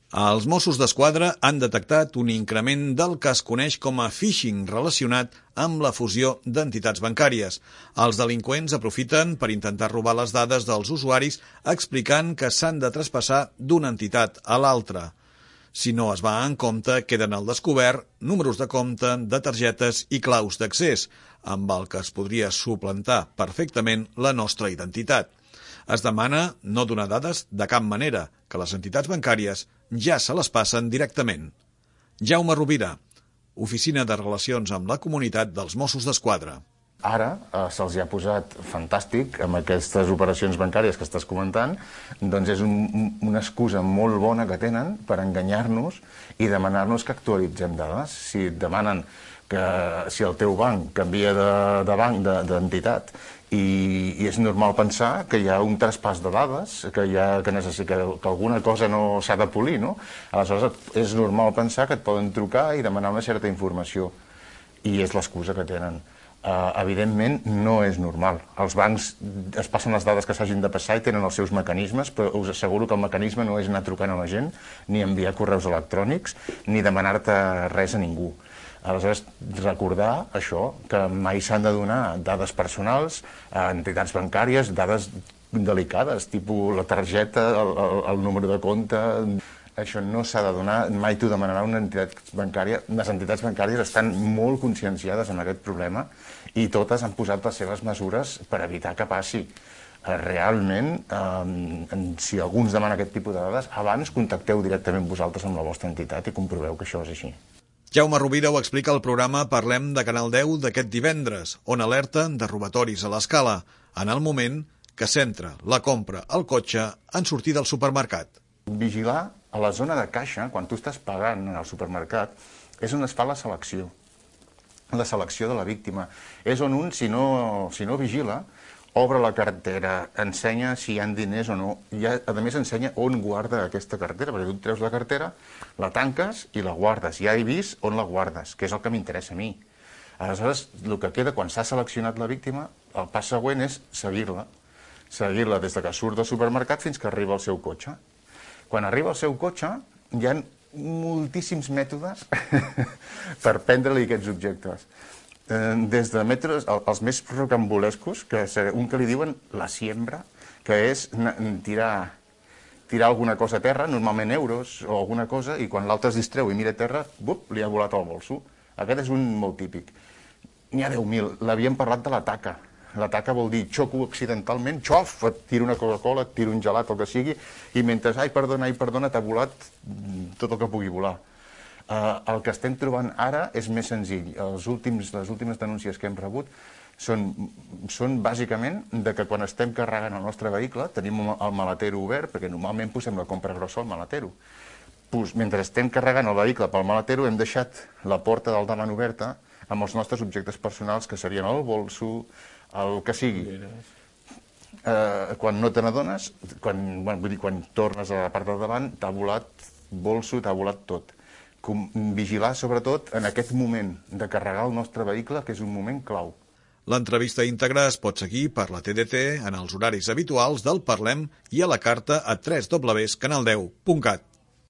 Els Mossos d'Esquadra han detectat un increment del que es coneix com a phishing relacionat amb la fusió d'entitats bancàries. Els delinqüents aprofiten per intentar robar les dades dels usuaris explicant que s'han de traspassar d'una entitat a l'altra. Si no es va en compte, queden al descobert números de compte, de targetes i claus d'accés, amb el que es podria suplantar perfectament la nostra identitat. Es demana no donar dades de cap manera, que les entitats bancàries ja se les passen directament. Jaume Rovira, Oficina de Relacions amb la Comunitat dels Mossos d'Esquadra. Ara se'ls ha posat fantàstic amb aquestes operacions bancàries que estàs comentant, doncs és una excusa molt bona que tenen per enganyar-nos i demanar-nos que actualitzem dades. Si et demanen que si el teu banc canvia de banc, d'entitat, i és normal pensar que hi ha un traspàs de dades, que alguna cosa no s'ha de polir, no? Aleshores és normal pensar que et poden trucar i demanar una certa informació, i és l'excusa que tenen. Evidentment no és normal. Els bancs es passen les dades que s'hagin de passar i tenen els seus mecanismes, però us asseguro que el mecanisme no és anar trucant a la gent, ni enviar correus electrònics, ni demanar-te res a ningú. Aleshores, recordar això, que mai s'han de donar dades personals a entitats bancàries, dades delicades, tipus la targeta, el número de compte. Això no s'ha de donar, mai t'ho demanarà una entitat bancària. Les entitats bancàries estan molt conscienciades en aquest problema i totes han posat les seves mesures per evitar que passi. Realment, si algú ens demana aquest tipus de dades, abans contacteu directament vosaltres amb la vostra entitat i comproveu que això és així. Jaume Rovira ho explica al programa Parlem de Canal 10 d'aquest divendres, on alerta de robatoris a l'escala, en el moment que centra la compra al cotxe en sortir del supermercat. Vigilar a la zona de caixa, quan tu estàs pagant al supermercat, és on es fa la selecció de la víctima. És on un, si no vigila, obre la cartera, ensenya si hi ha diners o no, i a més ensenya on guarda aquesta cartera, perquè tu et treus la cartera, la tanques i la guardes. Ja he vist on la guardes, que és el que m'interessa a mi. Aleshores, el que queda quan s'ha seleccionat la víctima, el pas següent és seguir-la des que surt del supermercat fins que arriba al seu cotxe. Quan arriba al seu cotxe, hi ha moltíssims mètodes per prendre-li aquests objectes. Des de mètodes, els més rocambolescos, un que li diuen la siembra, que és tirar alguna cosa a terra, normalment euros o alguna cosa, i quan l'altre es distreu i mira a terra, li ha volat al bolso. Aquest és un molt típic. N'hi ha 10.000. L'havíem parlat de la taca. La taca vol dir xoco accidentalment, xof, et tiro una Coca-Cola, et tiro un gelat, el que sigui, i mentre, ai, perdona, t'ha volat tot el que pugui volar. El que estem trobant ara és més senzill. Les últimes denúncies que hem rebut són bàsicament de que quan estem carregant el nostre vehicle tenim el maletero obert, perquè normalment posem la compra grossa al maletero. Mentre estem carregant el vehicle pel maletero hem deixat la porta del davant oberta amb els nostres objectes personals, que serien el bolso, el que sigui. Quan no te n'adones, quan tornes a la part del davant, t'ha volat bolso, t'ha volat tot. Vigilar, sobretot, en aquest moment de carregar el nostre vehicle, que és un moment clau. L'entrevista íntegra es pot seguir per la TDT en els horaris habituals del Parlem i a la carta a www.canal10.cat.